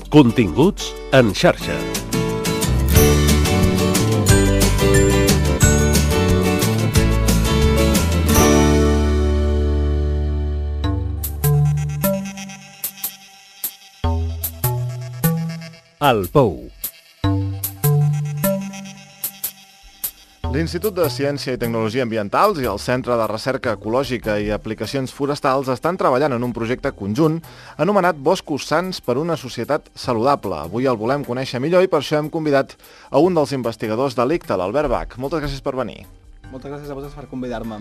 Continguts en xarxa. El Pou. L'Institut de Ciència i Tecnologia Ambientals i el Centre de Recerca Ecològica i Aplicacions Forestals estan treballant en un projecte conjunt anomenat Boscos Sans per una societat saludable. Avui el volem conèixer millor i per això hem convidat a un dels investigadors de l'ICTA, l'Albert Bach. Moltes gràcies per venir. Moltes gràcies a vosaltres per convidar-me.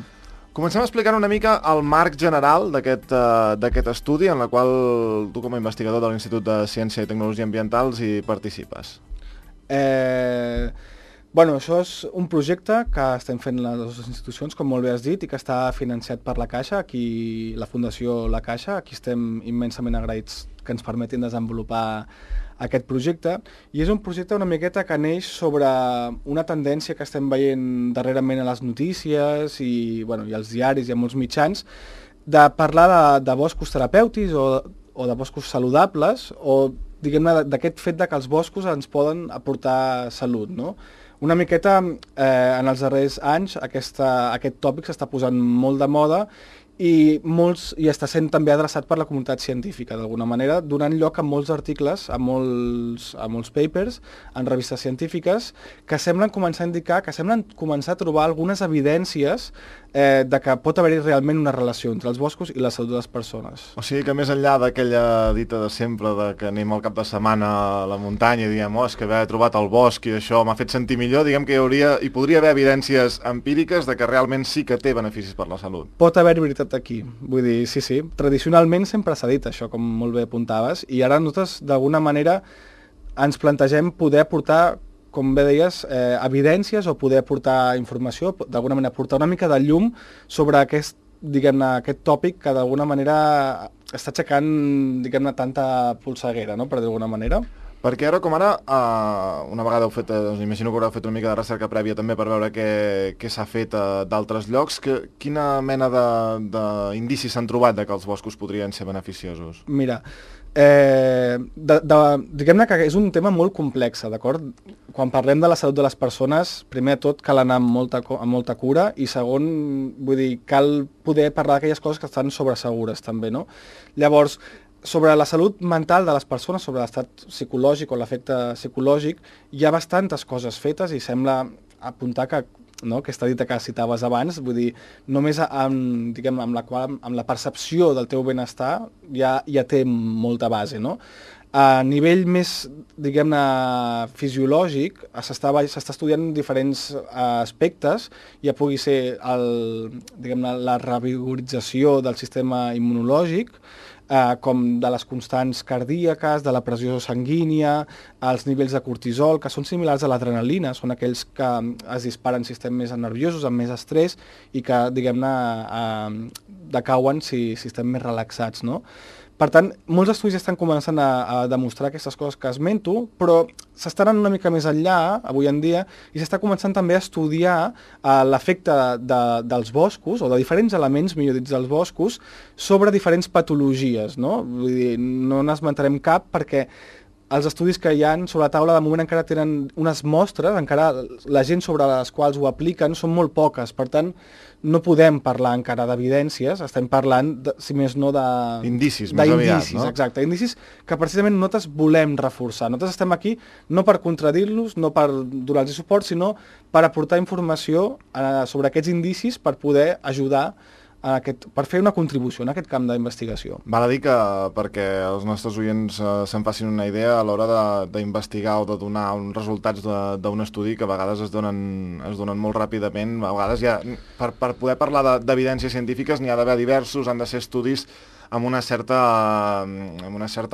Comencem explicant una mica el marc general d'aquest estudi en la qual tu com a investigador de l'Institut de Ciència i Tecnologia Ambientals hi participes. Bueno, això és un projecte que estem fent les dues institucions, com molt bé has dit, i que està financiat per la Caixa, aquí la Fundació La Caixa. Aquí estem immensament agraïts que ens permetin desenvolupar aquest projecte, i és un projecte una miqueta que neix sobre una tendència que estem veient darrerament a les notícies i als diaris i a molts mitjans, de parlar de boscos terapèutics o de boscos saludables, o diguem-ne d'aquest fet que els boscos ens poden aportar salut, no? Una miqueta en els darrers anys aquest tòpic s'està posant molt de moda i està sent també adreçat per la comunitat científica, d'alguna manera, donant lloc a molts articles, a molts papers, en revistes científiques, que semblen començar a indicar, que semblen començar a trobar algunes evidències de que pot haver-hi realment una relació entre els boscos i la salut de les persones. O sigui que més enllà d'aquella dita de sempre de que anem al cap de setmana a la muntanya i diem, és que haver trobat el bosc i això m'ha fet sentir millor, diguem que hi podria haver evidències empíriques de que realment sí que té beneficis per la salut. Pot haver veritat aquí, vull dir, sí. Tradicionalment sempre s'ha dit això, com molt bé apuntaves, i ara nosaltres d'alguna manera ens plantegem poder aportar, com bé deies, evidències o poder aportar informació, d'alguna manera aportar una mica de llum sobre aquest tòpic que d'alguna manera està aixecant, tanta polseguera, no?, per d'alguna manera. Perquè ara com ara, una vegada heu fet, imagino que haureu fet una mica de recerca prèvia també per veure què s'ha fet a d'altres llocs, quina mena d'indicis s'han trobat que els boscos podrien ser beneficiosos? Mira, diguem-ne que és un tema molt complex, d'acord? Quan parlem de la salut de les persones, primer de tot cal anar amb molta cura, i segon, vull dir, cal poder parlar d'aquelles coses que estan sobresegures també, no? Llavors, sobre la salut mental de les persones, sobre l'estat psicològic o l'efecte psicològic, hi ha bastantes coses fetes i sembla apuntar que, no, aquesta dita que citaves abans, vull dir, només amb la percepció del teu benestar ja té molta base, no? A nivell més, diguem-ne, fisiològic, s'està estudiant diferents aspectes, ja pugui ser la revigorització del sistema immunològic, com de les constants cardíaques, de la pressió sanguínia, els nivells de cortisol, que són similars a l'adrenalina, són aquells que es disparen si estem més nerviosos, amb més estrès, i que, diguem-ne, decauen si estem més relaxats, no? Per tant, molts estudis estan començant a demostrar aquestes coses que esmento, però s'està anant una mica més enllà, avui en dia, i s'està començant també a estudiar l'efecte dels boscos, o de diferents elements, millor dit, dels boscos, sobre diferents patologies, no? Vull dir, no n'esmentarem cap perquè els estudis que hi ha sobre la taula de moment encara tenen unes mostres, encara la gent sobre les quals ho apliquen són molt poques, per tant no podem parlar encara d'evidències, estem parlant, si més no, d'indicis, més aviat, no? Exacte, indicis que precisament nosaltres volem reforçar. Nosaltres estem aquí no per contradir-los, no per donar-los suport, sinó per aportar informació sobre aquests indicis per poder ajudar per fer una contribució en aquest camp d'investigació. Val a dir que perquè els nostres oients se'n facin una idea a l'hora d'investigar o de donar uns resultats d'un estudi que a vegades es donen molt ràpidament, a vegades ja per poder parlar d'evidències científiques n'hi ha d'haver diversos, han de ser estudis amb una certa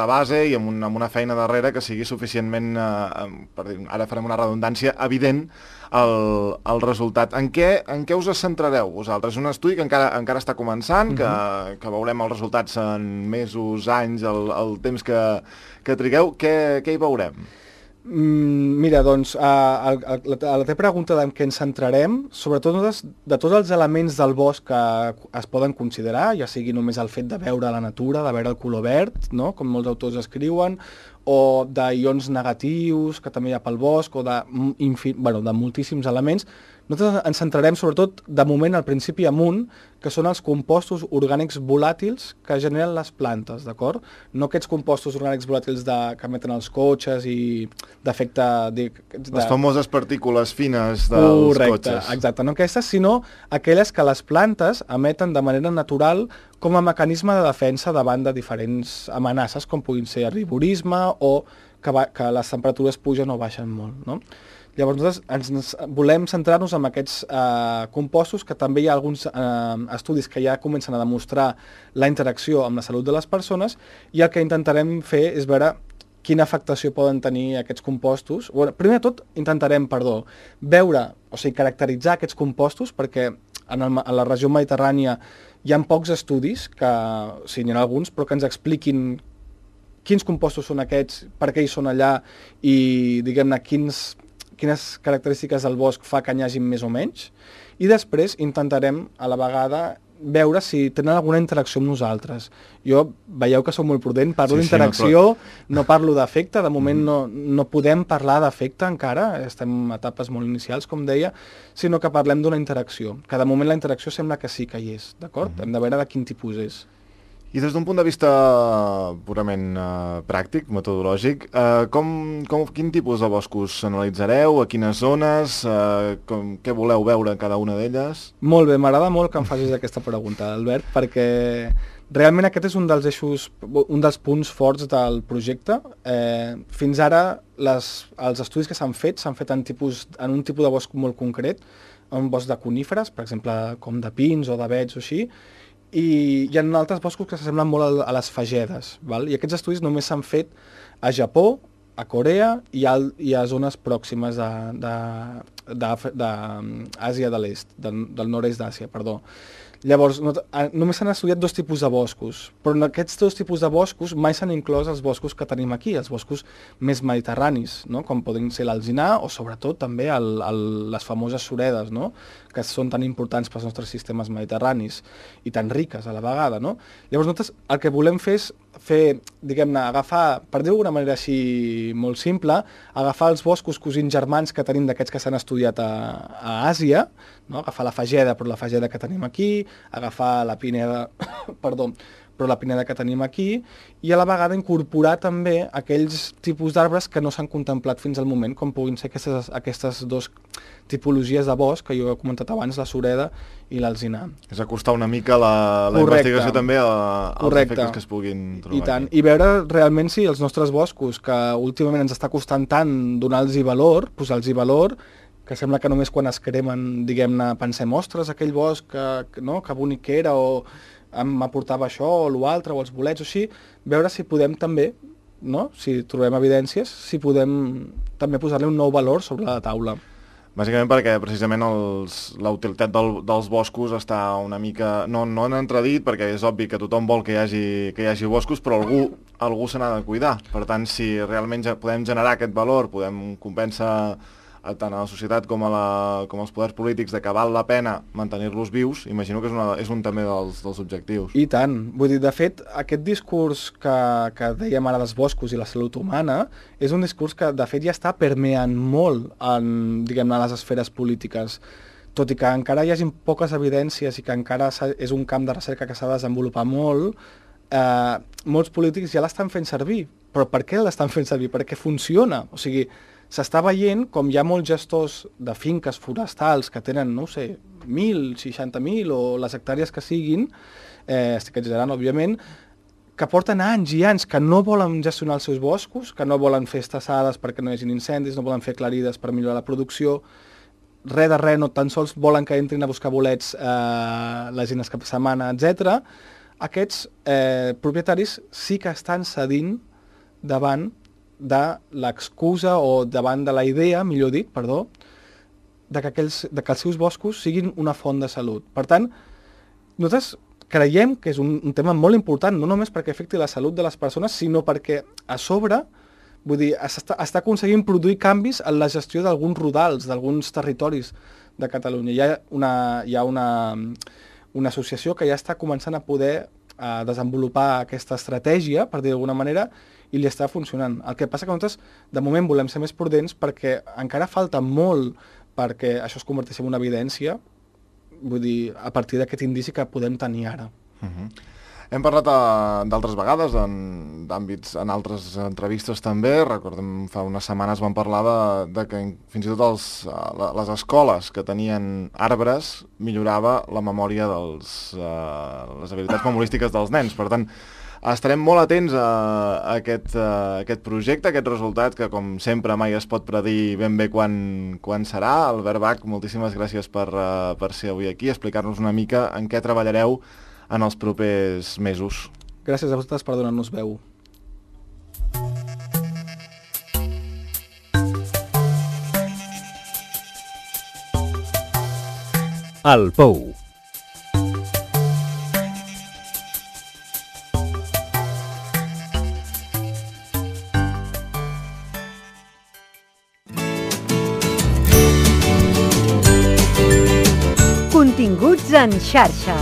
base i amb una feina darrere que sigui suficientment, ara farem una redundància, evident el resultat. En què us centrareu vosaltres? És un estudi que encara està començant, que veurem els resultats en mesos, anys, el temps que trigueu. Què hi veurem? Mira, doncs, a la teva pregunta en què ens centrarem, sobretot de tots els elements del bosc que es poden considerar, ja sigui només el fet de veure la natura, de veure el color verd, no?, com molts autors escriuen, o d'ions negatius, que també hi ha pel bosc, o de moltíssims elements. Nosaltres ens centrarem sobretot, de moment, al principi amunt, que són els compostos orgànics volàtils que generen les plantes, d'acord? No aquests compostos orgànics volàtils que emeten els cotxes i d'efecte... Les famoses partícules fines dels cotxes. Exacte, no aquestes, sinó aquelles que les plantes emeten de manera natural com a mecanisme de defensa davant de diferents amenaces, com puguin ser herbivorisme o que les temperatures pugen o baixen molt, no? Llavors nosaltres volem centrar-nos en aquests compostos, que també hi ha alguns estudis que ja comencen a demostrar la interacció amb la salut de les persones, i el que intentarem fer és veure quina afectació poden tenir aquests compostos. Bueno, primer de tot intentarem, veure, o sigui, caracteritzar aquests compostos, perquè a la regió mediterrània hi ha pocs estudis, o sigui, n'hi ha alguns, però que ens expliquin quins compostos són aquests, per què hi són allà i, diguem-ne, quines característiques del bosc fa que n'hi hagi més o menys, i després intentarem a la vegada veure si tenen alguna interacció amb nosaltres. Jo, veieu que sóc molt prudent, parlo d'interacció, no parlo d'efecte, de moment no podem parlar d'efecte encara, estem en etapes molt inicials, com deia, sinó que parlem d'una interacció, que de moment la interacció sembla que sí que hi és, d'acord? Hem de veure de quin tipus és. I des d'un punt de vista purament pràctic, metodològic, quin tipus de boscos analitzareu, a quines zones, què voleu veure en cada una d'elles? Molt bé, m'agrada molt que em facis aquesta pregunta, Albert, perquè realment aquest és un dels eixos, un dels punts forts del projecte. Fins ara els estudis que s'han fet en un tipus de bosc molt concret, un bosc de coníferes, per exemple, com de pins o d'avets o així, i hi ha altres boscos que s'assemblen molt a les fagedes, val? I aquests estudis només s'han fet a Japó, a Corea i a zones pròximes d'Àsia de l'Est, del nord-est d'Àsia, perdó. Llavors, només s'han estudiat 2 tipus de boscos, però en aquests 2 tipus de boscos mai s'han inclòs els boscos que tenim aquí, els boscos més mediterranis, no? Com poden ser l'alzinar o sobretot també les famoses suredes, no? Que són tan importants pels nostres sistemes mediterranis i tan riques a la vegada, no? Llavors nosaltres el que volem fer és diguem-ne, agafar, per dir-ho d'una manera així molt simple, agafar els boscos cosins germans que tenim d'aquests que s'han estudiat a Àsia, no? Agafar la fageda, però la fageda que tenim aquí, agafar la pineda, perdó, però la pineda que tenim aquí, i a la vegada incorporar també aquells tipus d'arbres que no s'han contemplat fins al moment, com puguin ser aquestes 2 tipologies de bosc que jo he comentat abans, la sureda i l'alzinar. És acostar una mica la investigació també als efectes que es puguin trobar. I tant, i veure realment si els nostres boscos, que últimament ens està costant tant donar-los valor, posar-los valor, que sembla que només quan es cremen, diguem-ne, pensem, ostres, aquell bosc que bonic que era, o m'aportava això o l'altre, o els bolets o així, veure si podem també, no? Si trobem evidències, si podem també posar-li un nou valor sobre la taula. Bàsicament perquè precisament la utilitat dels boscos està una mica... No en entredit, perquè és obvi que tothom vol que hi hagi boscos, però algú se n'ha de cuidar. Per tant, si realment podem generar aquest valor, podem convèncer tant a la societat com als poders polítics de que val la pena mantenir-los vius, imagino que és un també dels objectius. I tant. Vull dir, de fet, aquest discurs que dèiem ara dels boscos i la salut humana és un discurs que, de fet, ja està permeant molt en, diguem-ne, les esferes polítiques. Tot i que encara hi hagi poques evidències i que encara és un camp de recerca que s'ha de desenvolupar molt, molts polítics ja l'estan fent servir. Però per què l'estan fent servir? Perquè funciona. O sigui, s'està veient com hi ha molts gestors de finques forestals que tenen, no ho sé, 1.000, 60.000 o les hectàrees que siguin, estic exagerant, òbviament, que porten anys i anys que no volen gestionar els seus boscos, que no volen fer estassades perquè no hi hagi incendis, no volen fer aclarides per millorar la producció, res de res, no tan sols volen que entrin a buscar bolets les gent cap de setmana, etc. Aquests propietaris sí que estan cedint davant de l'excusa o davant de la idea, millor dit, perdó, de que els seus boscos siguin una font de salut. Per tant, nosaltres creiem que és un tema molt important, no només perquè afecti la salut de les persones, sinó perquè a sobre, vull dir, està aconseguint produir canvis en la gestió d'alguns rodals, d'alguns territoris de Catalunya. Hi ha una associació que ja està començant a poder desenvolupar aquesta estratègia, per dir d'alguna manera, i li està funcionant. El que passa que nosaltres, de moment, volem ser més prudents perquè encara falta molt perquè això es converteixi en una evidència, vull dir, a partir d'aquest indici que podem tenir ara. Hem parlat d'altres vegades, d'àmbits, en altres entrevistes també. Recordem, fa unes setmanes vam parlar de que fins i tot les escoles que tenien arbres millorava la memòria les habilitats memorístiques dels nens. Per tant, estarem molt atents a aquest projecte, a aquest resultat, que com sempre mai es pot predir ben bé quan serà. Albert Bach, moltíssimes gràcies per ser avui aquí, explicar-nos una mica en què treballareu en els propers mesos. Gràcies a vosaltres per donar-nos veu. El Pou. Continguts en xarxa.